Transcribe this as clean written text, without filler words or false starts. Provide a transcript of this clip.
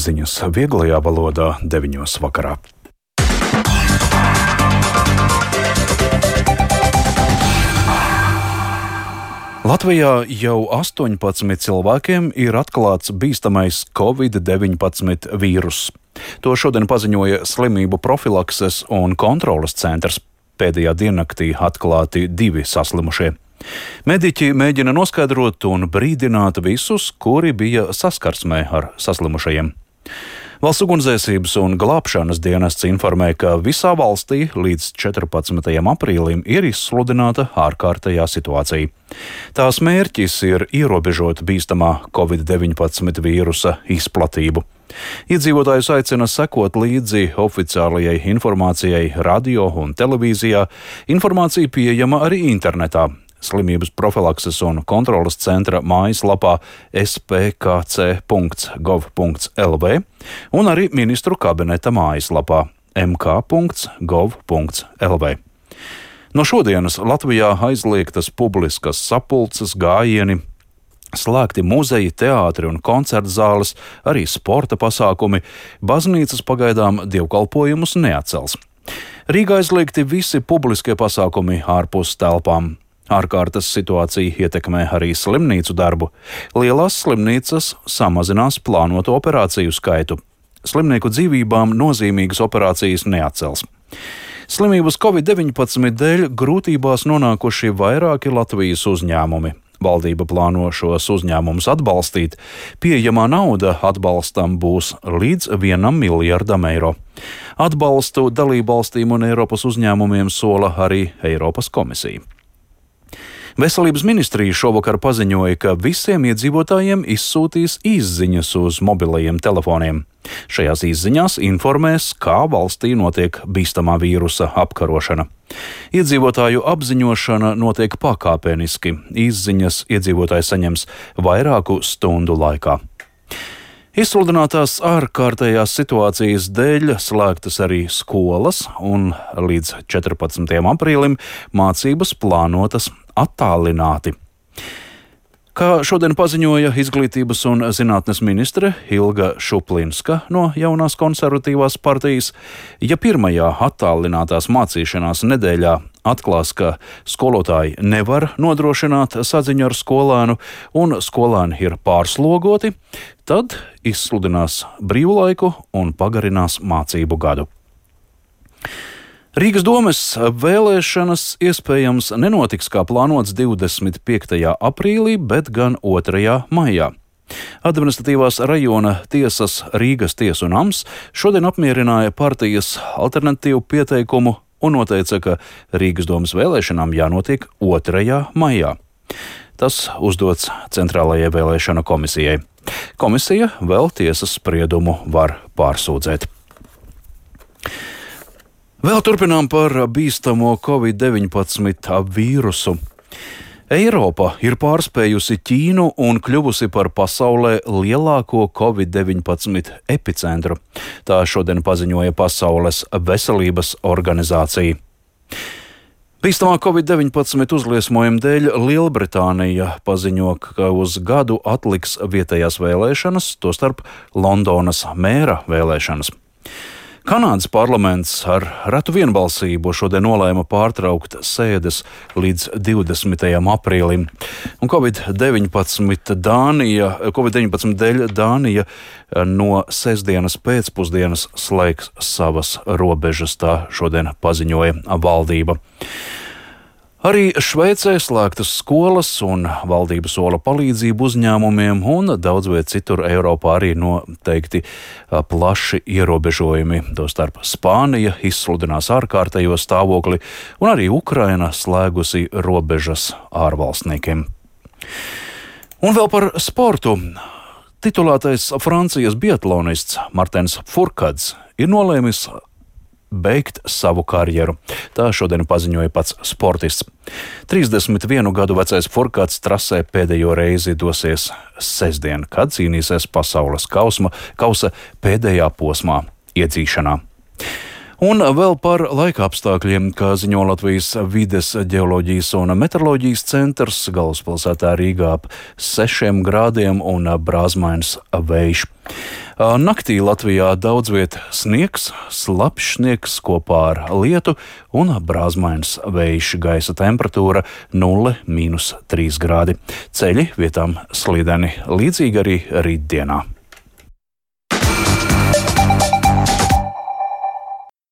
ziņas vieglajā valodā 9:00 vakarā. Latvijā jau 18 cilvēkiem ir atklāts bīstamais Covid-19 vīruss. To šodien paziņoja Slimību profilakses un kontroles centrs. Pēdējā diennaktī atklāti 2 saslimušie. Mediķi mēģina noskaidrot un brīdināt visus, kuri bija saskarsmē ar saslimušajiem. Valsts ugunsdzēsības un glābšanas dienests informē, ka visā valstī līdz 14. aprīlim ir izsludināta ārkārtējā situācija. Tās mērķis ir ierobežot bīstamā Covid-19 vīrusa izplatību. Iedzīvotājus aicina sekot līdzi oficiālajai informācijai radio un televīzijā. Informācija pieejama arī internetā. Slimības profilakses un kontroles centra mājaslapā spkc.gov.lv un arī ministru kabineta mājaslapā mk.gov.lv. No šodienas Latvijā aizliegtas publiskas sapulces, gājieni, slēgti muzeji, teātri un koncertu zāles, arī sporta pasākumi. Baznīcas pagaidām dievkalpojumus neatcels. Rīgā aizliegti visi publiskie pasākumi ārpus telpām. Ārkārtas situācija ietekmē arī slimnīcu darbu. Lielās slimnīcas samazinās plānoto operāciju skaitu. Slimnieku dzīvībām nozīmīgas operācijas neatcels. Slimības Covid-19 dēļ grūtībās nonākuši vairāki Latvijas uzņēmumi. Valdība plāno šos uzņēmumus atbalstīt. Pieejamā nauda atbalstam būs līdz 1 miljardam eiro. Atbalstu dalībvalstīm un Eiropas uzņēmumiem sola arī Eiropas komisija. Veselības ministrija šovakar paziņoja, ka visiem iedzīvotājiem izsūtīs izziņas uz mobilajiem telefoniem. Šajās izziņās informēs, kā valstī notiek bīstamā vīrusa apkarošana. Iedzīvotāju apziņošana notiek pakāpeniski. Izziņas iedzīvotāji saņems vairāku stundu laikā. Izsludinātās ārkārtējās situācijas dēļ slēgtas arī skolas, un līdz 14. aprīlim mācības plānotas attālināti. Kā šodien paziņoja Izglītības un zinātnes ministre Ilga Šuplinska no Jaunās konservatīvās partijas, ja pirmajā attālinātās mācīšanās nedēļā atklās, ka skolotāji nevar nodrošināt saziņu ar skolēnu un skolēni ir pārslogoti, tad izsludinās brīvlaiku un pagarinās mācību gadu. Rīgas domes vēlēšanas iespējams nenotiks kā plānots 25. aprīlī, bet gan 2. maijā. Administratīvās rajona tiesas Rīgas tiesu nams šodien apmierināja partijas alternatīvu pieteikumu un noteica, ka Rīgas domes vēlēšanām jānotiek 2. maijā. Tas uzdots Centrālajai vēlēšana komisijai. Komisija vēl tiesas spriedumu var pārsūdzēt. Vēl turpinām par bīstamo Covid-19 vīrusu. Eiropa ir pārspējusi Ķīnu un kļuvusi par pasaulē lielāko Covid-19 epicentru. Tā šodien paziņoja Pasaules veselības organizācija. Bīstamā Covid-19 uzliesmojuma dēļ Lielbritānija paziņo, ka uz gadu atliks vietējās vēlēšanas, tostarp Londonas mēra vēlēšanas. Kanādas parlaments ar retu vienbalsību šodien nolēma pārtraukt sēdes līdz 20. aprīlim. Un Covid-19 dēļ Dānija no sestdienas pēcpusdienas slēgs savas robežas, tā šodien paziņoja valdība. Arī Šveicē slēgtas skolas un valdība sola palīdzību uzņēmumiem, un daudz viet citur Eiropā arī noteikti plaši ierobežojumi. Tostarp Spānija izsludinās ārkārtējo stāvokli, un arī Ukraina slēgusi robežas ārvalstniekiem. Un vēl par sportu. Titulētais Francijas biatlonists Martens Fourcade ir nolēmis beigt savu karjeru. Tā šodien paziņoja pats sportists. 31 gadu vecais Fourcade trasē pēdējo reizi dosies sestdien, kad cīnīsies pasaules kausa pēdējā posmā iedzīšanā. Un vēl par laika apstākļiem, kā ziņo Latvijas vides ģeoloģijas un meteoroloģijas centrs, galvaspilsētā Rīgā ap 6 grādiem un brāzmains vējš. Naktī Latvijā daudz viet sniegs, slapjš sniegs kopā ar lietu un brāzmains vējš, gaisa temperatūra 0–3 grādi. Ceļi vietām slideni, līdzīgi arī rītdienā.